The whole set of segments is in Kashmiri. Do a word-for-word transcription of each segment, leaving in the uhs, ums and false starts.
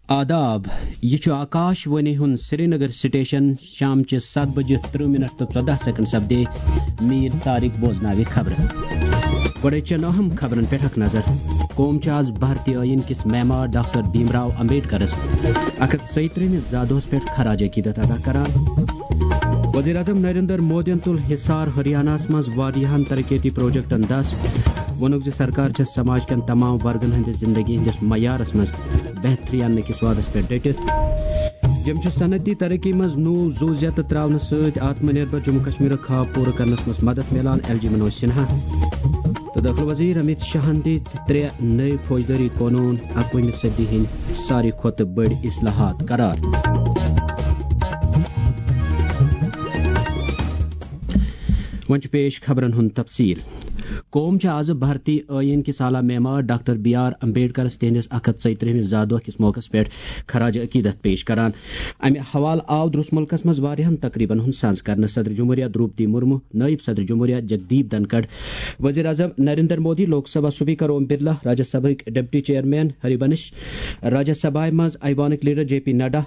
آداب، یہِ چھُ آکاش وانی ہُنٛد سرینگر سٹیشن۔ شام چہِ ستھ بجہِ ترٕہ منٹ تہٕ ژۄداہ سیکنڈ سپدے۔ میٖر طارق بوزناوِ خبرٕ۔ گۄڈَے چَن اہم خبرن پٮ۪ٹھ اکھ نظر۔ قوم چھُ آز بھارتی ٲییٖن کِس معمار ڈاکٹر بھیم راو امبیڈکرس اکھ ہتھ ژۄیہِ ترٕہمِس زا دۄہس پٮ۪ٹھ خراج عقیدت ادا کران۔ وزیر اعظم نریندر مودیَن تُل حصار ہریاناہَس منٛز واریاہَن ترقیتی پروجیکٹَن دَس۔ ووٚنُکھ زِ سرکار چھےٚ سماج کٮ۪ن تمام ورگن ہٕنٛدِ زندگی ہٕنٛدِس معیارَس منٛز بہتری اننہٕ کِس وعدس پٮ۪ٹھ ڈٔٹِتھ۔ یِم چھِ صنعتی ترقی منٛز نوٚو زُو زیتہٕ ترٛاونہٕ سۭتۍ آتم نربھر جموں کشمیرُک خواب پوٗرٕ کرنس منٛز مدد میلان، ایل جی منوج سنہا۔ تہٕ دٲخلہٕ وزیر امیت شاہن دِتۍ ترٛےٚ نٔوۍ فوجدٲری قونوٗن اَکوُہمہِ صدی ہٕنٛدۍ ساروی کھۄتہٕ بٔڑۍ اصلاحات قرار۔ وۄنۍ چھُ پیش خبرن ہُنٛد تفصیل۔ قوم چھِ آز بھارتی ٲییٖن کِس اعلیٰ معمار ڈاکٹر بی آر امبیڈکرس تِہنٛدِس اکھ ہتھ ژۄیہِ ترٕہمِس زا دۄہ کِس موقعس پٮ۪ٹھ خراج عقیدت پیش کران۔ امہِ حوالہٕ آو درس ملکس منٛز واریاہن تقریبن ہُنٛد سانز کرنہٕ۔ صدر جمہوریہ دروپدی مرمو، نائب صدر جمہوریہ جگدیپ دھنکھڑ، وزیر اعظم Narendra Modi, Lok Sabha speaker Om Birla, Rajya Sabha deputy chairman Harivansh, Rajya Sabha منٛز ایوانٕکۍ leader J P Nadda,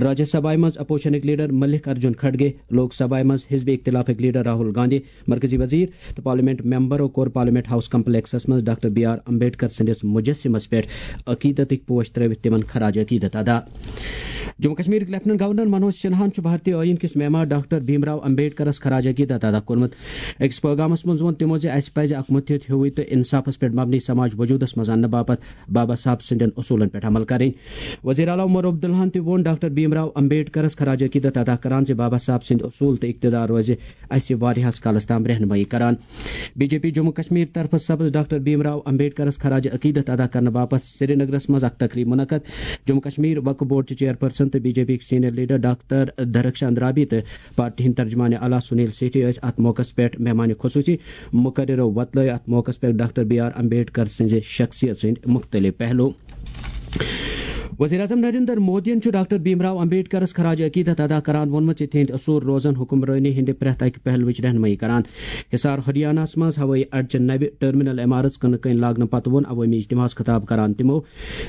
Rajya Sabha منٛز اپوزیشنٕکۍ لیڈر ملک ارجن کھڑگے، لوک سبھا منٛز حزب اختلافٕکۍ لیڈر راہل گاندھی، مرکزی وزیر تہٕ پارلیمنٹ ممبرو کوٚر پارلیمنٹ ہاؤس کمپلیکسس منٛز ڈاکٹر بی آر امبیڈکر سٕنٛدِس مجسمس پٮ۪ٹھ عقیدتٕکۍ پوش ترٲوِتھ تِمن خراج عقیدت ادا۔ جموں کشمیرٕکۍ لیفٹیننٹ گورنر منوج سنہاہن چھُ بھارتی ٲییٖن کِس معمار ڈاکٹر بھیم راو امبیڈکرس خراج عقیدت ادا کوٚرمُت۔ أکِس پٲغامس منٛز ووٚن تِمو زِ اسہِ پزِ اکھ مُتحد ہیوُے تہٕ انصافس پٮ۪ٹھ مبنی سماج وجودس منٛز اننہٕ باپتھ بابا صاحب سٕنٛدٮ۪ن اصوٗلن پٮ۪ٹھ عمل کرٕنۍ۔ وزیر اعلیٰ عمر عبداللہن تہِ ووٚن ڈاکٹر بھیم راو امبیڈکرس خراج عقیدت ادا کران زِ بابا صاحب سٕنٛدۍ اصوٗل تہٕ اقتدار روزِ اسہِ واریاہس کالس تام رہنمٲیی کران۔ B J P Jammu Kashmir طرفہٕ سپز ڈاکٹر بھیم راو امبیڈکرس خراج عقیدت ادا کرنہٕ باپتھ سرینگرس منٛز اکھ تقریب منعقد۔ جموں کشمیر وقف بورڈ چہِ چیئرپرسن تہٕ B J P senior leader doctor Darakhshan رابی تہٕ پارٹی ہٕنٛدۍ ترجمان اعلیٰ سنیل سیٹھی ٲسۍ اتھ موقعس پٮ۪ٹھ مہمان خصوصی۔ مقررو وۄتلٲے اتھ موقعس پٮ۪ٹھ ڈاکٹر بی آر امبیڈکر سٕنٛزِ شخصیت سٕنٛدۍ مختلف پہلو۔ وزیر اعظم نریندر مودیَن چھُ ڈاکٹر بھیم راو امبیڈکرس خراج عقیدت ادا کران ووٚنمُت زِ تِہنٛدۍ اصوٗل روزن حکمرٲنی ہٕنٛدِ پرٛٮ۪تھ اکہِ پہلوٕچ رہنمٲیی کران۔ حصار ہریاناہَس منٛز ہوٲیی اڈچہِ نوِ ٹرمینل عمارژ کٕنہٕ کٕنۍ لاگنہٕ پتہٕ ووٚن عوٲمی اجتماعس خطاب کران تِمو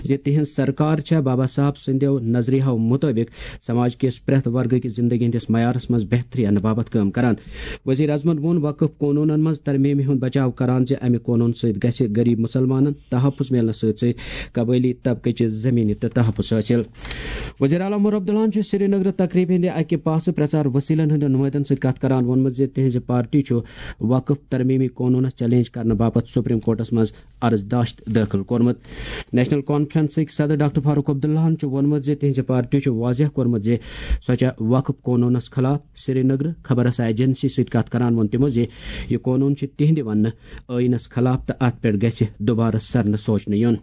زِ تِہنٛز سرکار چھےٚ بابا صاحب سٕنٛدیو نظریاہو مُطٲبِق سماج کِس پرٛٮ۪تھ ورگہٕ کِس زندگی ہٕنٛدِس معیارس منٛز بہتری اننہٕ باپتھ کٲم کران۔ وزیر اعظمن ووٚن وقف قونوٗنن منٛز ترمیمہِ ہُنٛد بچاو کران زِ امہِ قونوٗن سۭتۍ گژھِ غریب مسلمانن تحفظ میلنس سۭتۍ سۭتۍ قبٲیلی طبقہٕ چہِ زمینہِ تہِ تحفظ حٲصِل۔ وزیر اعلیٰ عمر عبداللہن چھُ سرینگرٕ تقریب ہٕنٛدِ اکہِ پاسہٕ پرچار وسیلن ہٕنٛدٮ۪ن نُمٲیندن سۭتۍ کتھ کران ووٚنمُت زِ تِہنٛزِ پارٹی چھُ وقف ترمیمی قونوٗنس چیلنج کرنہٕ باپتھ سپریم کورٹس منٛز عرض داشت دٲخل کوٚرمُت۔ نیشنل کانفرنسٕکۍ صدر ڈاکٹر فاروق عبداللہن چھُ ووٚنمُت زِ تِہنٛزِ پارٹی چھُ واضح کوٚرمُت زِ سۄ چھےٚ وقف قونوٗنس خلاف۔ سرینگرٕ خبر رساں ایجنسی سۭتۍ کتھ کران ووٚن تِمو زِ یہِ قونوٗن چھُ تِہنٛدِ وننہٕ ٲیٖنس خلاف تہٕ اتھ پٮ۪ٹھ گژھِ دوبارٕ سرنہٕ سوچنہٕ یُن۔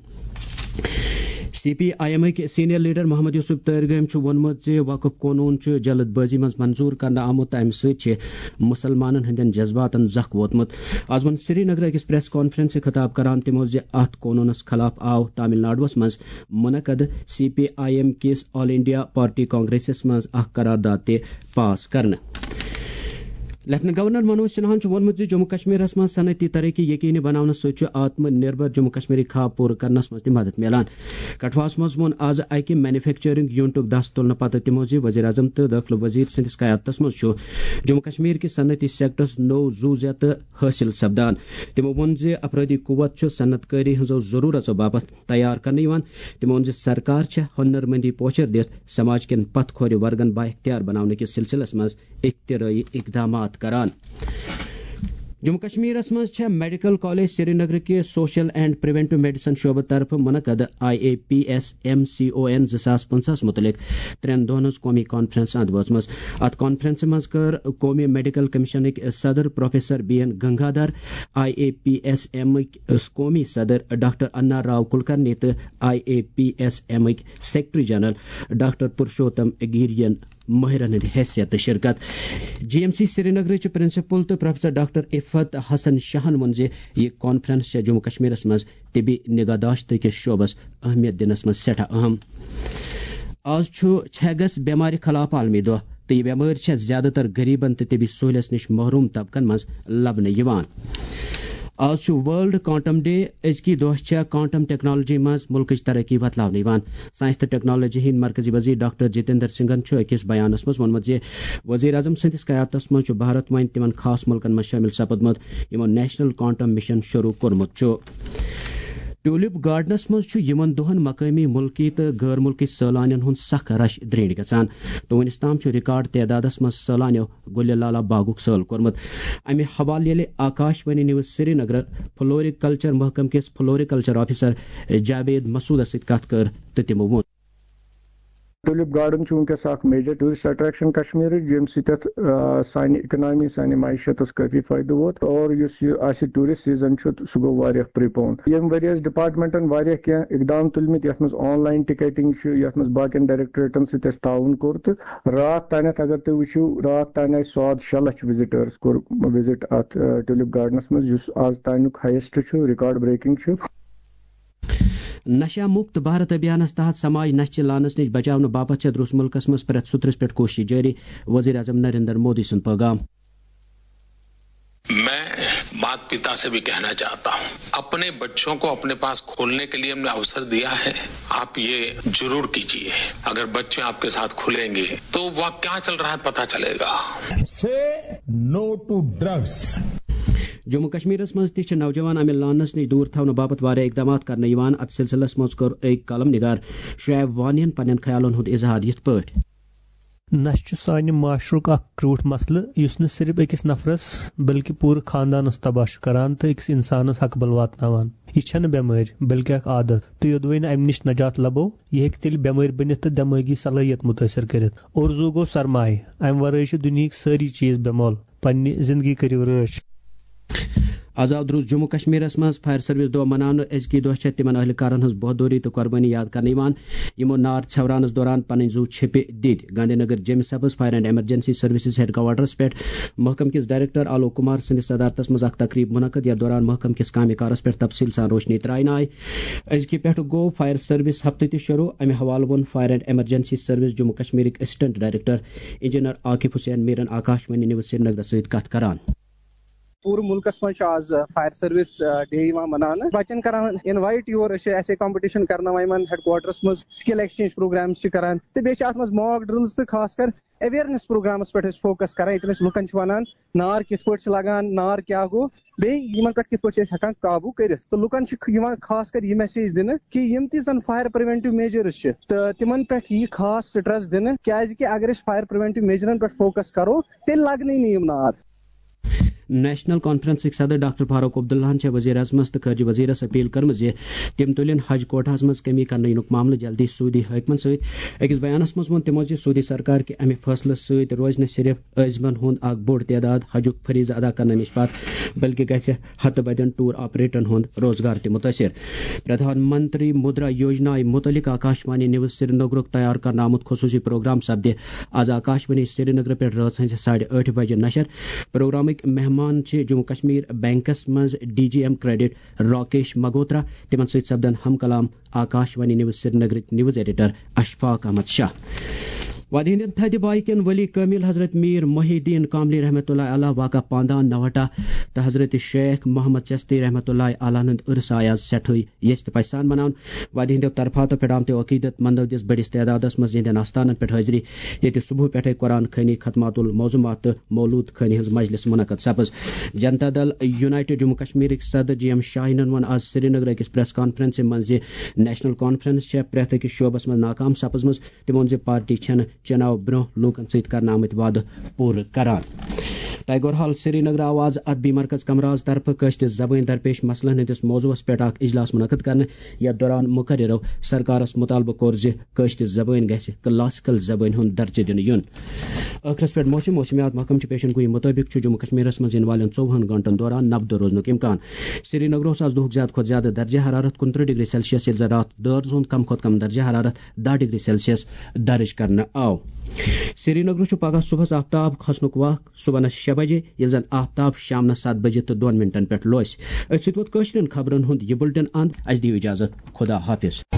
سی پی آئی ایمٕکۍ سینئر لیڈر محمد یوسف تٲرگٲمۍ چھُ ووٚنمُت زِ وقف قونوٗن چھُ جلد بٲزی منٛز منظوٗر کرنہٕ آمُت تہٕ امہِ سۭتۍ چھِ مسلمانن ہٕنٛدٮ۪ن جذباتن زکھ ووتمُت۔ از ووٚن سرینگرٕ أکِس پریس کانفرنسہِ خطاب کران تِمو زِ اتھ قونوٗنس خلاف آو تامل ناڈوَس منٛز منعقد سی پی آئی ایم کِس آل انڈیا پارٹی کانگریسس منٛز اکھ قرارداد تہِ پاس کرنہٕ۔ لیفٹیننٹ گورنر منوج سنہاہن چھُ ووٚنمُت زِ جموں کشمیرس منٛز صنعتی ترقی یقینی بناونہٕ سۭتۍ چھُ آتم نربھر جموں کشمیرٕکۍ خواب پوٗرٕ کرنس منٛز تہِ مدد میلان۔ کٹھواہس منٛز ووٚن از اکہِ مینوفیکچرنگ یونٹُک دس تُلنہٕ پتہٕ تِمو زِ وزیر اعظم تہٕ دٲخلہٕ وزیر سٕنٛدِس قیادتس منٛز چھُ جموں کشمیر کِس صنعتی سیکٹرس نوٚو زُو زیتہٕ حٲصِل سپدان۔ تِمو ووٚن زِ افرٲدی قوت چھُ صنعت کٲری ہٕنٛزو ضروٗرژو باپتھ تیار کرنہٕ یِوان۔ تِمو ووٚن زِ سرکار چھےٚ ہُنر مندی پوچھر دِتھ سماج کٮ۪ن پتھ کھورِ ورگن بااختیار بناونہٕ کِس سلسلس منٛز اختراعی اقدامات کران۔ جموں کشمیرس منٛز چھےٚ میڈیکل کالج سرینگرٕ کہِ سوشل اینڈ پریونٹو میڈیسن شعبہٕ طرفہٕ منعقد I A P S M C O N زٕ ساس پٕنٛژٕہس مُتعلق ترٛٮ۪ن دۄہن ہٕنٛز قومی کانفرنس اند وٲژمٕژ۔ اتھ کانفرنسہِ منٛز کٔر قومی میڈیکل کمیشنٕکۍ صدر professor B N Gangadhar, I A P S ایمٕکۍ قومی صدر ڈاکٹر انا راو کلکرنی تہٕ آئی اے پی ایس ایمٕکۍ سیکرٹری جنرل ڈاکٹر پرشوتم گیرین مٲہرن ہٕنٛدِ حیثیتہٕ شرکت۔ جی ایم سی سرینگرٕچ پرنسپل تہٕ پروفیسر ڈاکٹر عفت حسن شاہن ووٚن زِ یہِ کانفرنس چھےٚ جموں کشمیرس منٛز طبی نگہداشت کِس شعبس اہمیت دِنس منٛز سٮ۪ٹھاہ اہم۔ آز چھُ چھیگس بٮ۪مارِ خلاف عالمی دۄہ تہٕ یہِ بٮ۪مٲرۍ چھےٚ زیادٕ تر غریبن تہٕ طبی سہولیژ نِش محروم طبقن منٛز لبنہٕ یِوان۔ آز چھُ ورلڈ کوانٹم ڈے۔ أزکی دۄہ چھےٚ کوانٹم ٹیکنالوجی منٛز مُلکٕچ ترقی وۄتلاونہٕ یِوان۔ ساینس تہٕ ٹیکنالوجی ہٕنٛدۍ مرکزی وزیر ڈاکٹر جتیندر سنگھن چھُ أکِس بیانس منٛز ووٚنمُت زِ وزیر اعظم سٕنٛدِس قیادتس منٛز چھُ بھارت وۄنۍ تِمن خاص مُلکن منٛز شٲمِل سپدمُت، یِمو نیشنل کوانٹم مشن شروع کوٚرمُت چھُ۔ ٹیولپ گارڈنس منٛز چھُ یِمن دۄہن مقٲمی، مُلکی تہٕ غٲر مُلکی سٲلانٮ۪ن ہُنٛد سخ رش درینڈ گژھان تہٕ وُنِس تام چھُ ریکارڈ تعدادس منٛز سٲلانیو گُلہِ لالا باغُک سٲل کوٚرمُت۔ امہِ حوالہٕ ییٚلہِ آکاش وانی نیوز سرینگر فلوریکلچر محکمہٕ کِس فلوریکلچر آفیسر جاوید مسعودس سۭتۍ کتھ کٔر تہٕ تِمو ووٚن۔ ٹولپ گارڈن چھُ وٕنکیٚس اکھ میجر ٹورسٹ اٹریکشن کشمیرٕچ، ییٚمہِ سۭتۍ اتھ، آ، سانہِ اکنامی، سانہِ معیشتس کٲفی فٲیدٕ ووت۔ اور یُس یہِ اسہِ ٹورسٹ سیزن چھُ، سُہ گوٚو واریاہ پریپون۔ ییٚمہِ ؤرۍ یہِ ڈپارٹمنٹن واریاہ کینٛہہ اقدام تُلمٕتۍ، یتھ منٛز آن لاین ٹکیٹنگ چھُ، یتھ منٛز باقین ڈائریکٹوریٹن سۭتۍ اَسہِ تعاون کوٚر، تہٕ راتھ تانٮ۪تھ اگر تُہۍ وٕچھِو، راتھ تانۍ آسہِ ساد شےٚ لچھ وزٹرس کوٚر وزٹ اتھ، آ، ٹولپ گارڈنس منٛز، یُس آز تانیُک ہایسٹ چھُ، ریکارڈ بریکنگ چھُ۔ نشہ مکت بھارت ابھیانس تحت سماج نشہ چہِ لانس نِش بچاونہٕ باپتھ چھےٚ درٛوس مُلکس منٛز پرٛٮ۪تھ سُترس پٮ۪ٹھ کوٗشش جٲری، وزیر اعظم نریندر مودی سُنٛد پیغام۔ میں مات پتا سے بھی کہنا چاہتا ہوں، اپنے بچوں کو اپنے پاس کھولنے کے لیے ہم نے اوسر دیا ہے۔ آپ یہ ضرور کیجیے۔ اگر بچے آپ کے ساتھ کھلیں گے تو وہ کیا چل رہا ہے پتا چلے گا۔ Say no to drugs. Jammu کشمیرس منٛز تہِ چھِ نوجوان امہِ لانس نِش دوٗر تھاونہٕ باپتھ واریاہ اقدامات کرنہٕ یِوان۔ اتھ سلسلس منٛز کوٚر أکۍ قلم نگار شعیب وانین پننٮ۪ن خیالن ہُنٛد اظہار یِتھ پٲٹھۍ۔ نشہٕ چھُ سانہِ معاشرُک اکھ کرٛوٗٹھ مسلہٕ، یُس نہٕ صرف أکِس نفرس بلکہِ پوٗرٕ خاندانس تباہ چھُ کران تہٕ أکِس انسانس ہکبل واتناوان۔ یہِ چھَنہٕ بٮ۪مٲرۍ، بلکہِ اکھ عادت، تہٕ یوٚدوَے نہٕ امہِ نِش نجات لبو، یہِ ہیٚکہِ تیٚلہِ بٮ۪مٲرۍ بٔنِتھ تہٕ دٮ۪مٲغی صلٲحیت مُتٲثر کٔرِتھ۔ اور زُو گوٚو سرمایہِ، امہِ ورٲے چھِ دُنیہٕکۍ سٲری چیٖز بے مۄل۔ پننہِ زندگی کٔرِو رٲچھ۔ آز آو درُس جموں کشمیرس منٛز فائر سروس دۄہ مناونہٕ۔ أزکی دۄہ چھےٚ تِمن اہلہِ کارن ہٕنٛز بہادری تہٕ قۄربٲنی یاد کرنہٕ یِوان، یِمو نار ژھٮ۪وراونس دوران پنٕنۍ زُو چھیٚپہِ دِتۍ۔ گاندھی نگر جیمہِ سبز fire and emergency services headquarters پٮ۪ٹھ محکمہٕ کِس ڈائریکٹر آلوک کمار سٕنٛدِس صدارتس منٛز اکھ تقریب منعقد، یتھ دوران محکمہٕ کِس کامہِ کارس پٮ۪ٹھ تفصیل سان روشنی ترٛاونہٕ آیہِ۔ أزکہِ پٮ۪ٹھٕ گوٚو فائر سروس ہفتہٕ تہِ شروع۔ امہِ حوالہٕ ووٚن fire and emergency service Jammu کشمیرٕکۍ assistant director engineer Aqif Hussain میرن آکاش وانی نیوز سرینگرس سۭتۍ کتھ کران۔ پوٗرٕ مُلکَس منٛز چھُ آز فایر سٔروِس ڈے یِوان مَناونہٕ۔ بَچَن کران اِنوایِٹ یور، أسۍ چھِ ایسے کمپٹیشن کرناوان یِمن ہیڈ کوارٹرس منٛز، سکل ایکسچینج پروگرامز چھِ کران، تہٕ بیٚیہِ چھِ اَتھ منٛز ماک ڈرلز تہٕ خاص کر اویرنیس پروگرامس پٮ۪ٹھ أسۍ فوکس کران، ییٚتٮ۪ن أسۍ لُکن چھِ وَنان نار کِتھ پٲٹھۍ چھِ لگان، نار کیٛاہ گوٚو، بیٚیہِ یِمن پٮ۪ٹھ کِتھ پٲٹھۍ چھِ أسۍ ہٮ۪کان قابوٗ کٔرِتھ۔ تہٕ لُکن چھِ یِوان خاص کر یہِ میسیج دِنہٕ کہِ یِم تہِ زَن فایر پریونٹیو میجرز چھِ، تہٕ تِمن پٮ۪ٹھ یی خاص سٹریس دِنہٕ، کیازِ کہِ اگر أسۍ فایر پریونٹیو میجرن پٮ۪ٹھ فوکس کرو، تیٚلہِ لگنٕے نہٕ یِم نار۔ نیشنل کانفرنسٕکۍ صدر ڈاکٹر فاروق عبداللہن چھےٚ وزیر اعظمس تہٕ خارجہ وزیرس اپیل کٔرمٕژ زِ تِم تُلِن حج کوٹاہس منٛز کمی کرنہٕ یِنُک معاملہٕ جلدی سعودی حٲکمن سۭتۍ۔ أکِس بیانس منٛز ووٚن تِمو زِ سعودی سرکار کہِ امہِ فٲصلہٕ سۭتۍ روزِ نہٕ صرف عازمن ہُنٛد اکھ بوٚڑ تعداد حجُک فریضہٕ ادا کرنہٕ نِش پتھ، بلکہِ گژھِ ہتہٕ بدٮ۪ن ٹور آپریٹرن ہُنٛد روزگار تہِ مُتٲثر۔ پردھان منتری مدرا یوجنا متعلق آکاشوانی نیوز سرینگرُک تیار کرنہٕ آمُت خصوٗصی پروگرام سپدِ آز آکاشوانی سرینگر پٮ۪ٹھ رٲژ ہٕنٛزِ ساڑِ ٲٹھِ بجہِ نشر۔ پروگرامٕکۍ مہمان چھِ جموں کشمیر بینکس منٛز D G M credit Rakesh Magotra. تِمن سۭتۍ سپدن ہم کلام آکاشوانی نیوز سرینگرٕکۍ نیوز ایڈیٹر اشفاق احمد شاہ۔ وادی ہندین تھدِ بایہِ کٮ۪ن ولی کٲمِل حضرت میر محی الدین کاملی رحمتہ اللہ علیہ واقع پاندان نوہٹا تہٕ حضرت شیخ محمد چستی رحمتہ اللہ علیہ ہُنٛد عرس آیہِ آز سٮ۪ٹھٕے یژھِ تہٕ پژھِ سان مناونہٕ۔ وادی ہٕنٛدیو طرفاتو پٮ۪ٹھ آمتیو عقیدت مندو دِژ بٔڑِس تعدادس منٛز یِہنٛدٮ۪ن آستانن پٮ۪ٹھ حٲضری، ییٚتہِ صبحہٕ پٮ۪ٹھے قرآن خوٲنی، ختمات الموضوعات تہٕ مولود خوٲنی ہٕنٛز مجلس منعقد سپٕز۔ جنتا دل یونائیٹڈ جموں کشمیرٕکۍ صدر جی ایم شاہینن ووٚن آز سرینگرٕ أکِس پریس کانفرنسہِ منٛز زِ نیشنل کانفرنس چھےٚ پرٛٮ۪تھ أکِس شعبس منٛز ناکام سپٕزمٕژ۔ تِمو ووٚن زِ پارٹی چھَنہٕ چُناو برٛونٛہہ لوٗکن سۭتۍ کرنہٕ آمٕتۍ وعدٕ پوٗرٕ کران۔ ٹیگور ہال سرینگر آو آز ادبی مرکز کمراز طرفہٕ کٲشرِ زبٲنۍ درپیش مسلن ہٕنٛدِس موضوعس پٮ۪ٹھ اکھ اجلاس منعقد کرنہٕ، یتھ دوران مقررو سرکارس مطالبہٕ کوٚر زِ کٲشرِ زبٲنۍ گژھِ کلاسیکل زبٲنۍ ہُنٛد درجہٕ دِنہٕ یُن۔ ٲخرس پٮ۪ٹھ موسم، موسمیات محکمہٕ چہِ پیشن گویی مطٲبق چھُ جموں کشمیرس منٛز یِنہٕ والٮ۪ن ژوٚوُہن گھنٹن دوران نبدٕ روزنُک امکان۔ سرینگرس آز دُہُک زیادٕ کھۄتہٕ زیادٕ درجہ حرارت کُنترٕہ ڈگری سیلسیس، ییٚلہِ زن راتھ دٲرزٕ ہُنٛد کم کھۄتہٕ کم درجہ حرارت دَہ ڈگری سیلسیس درج کرنہٕ آو۔ سرینگرس چھُ پگاہ صبحس آفتاب کھسنُک وق صبحنس شےٚ بجے، ییٚلہِ زن آفتاب شامنس ستھ بجے تہٕ دۄن منٹن پٮ۪ٹھ لوسہِ۔ أتھۍ سۭتۍ ووت کٲشرٮ۪ن خبرن ہُنٛد یہِ بُلٹن اند۔ اسہِ دِیِو اجازت، خدا حافظ۔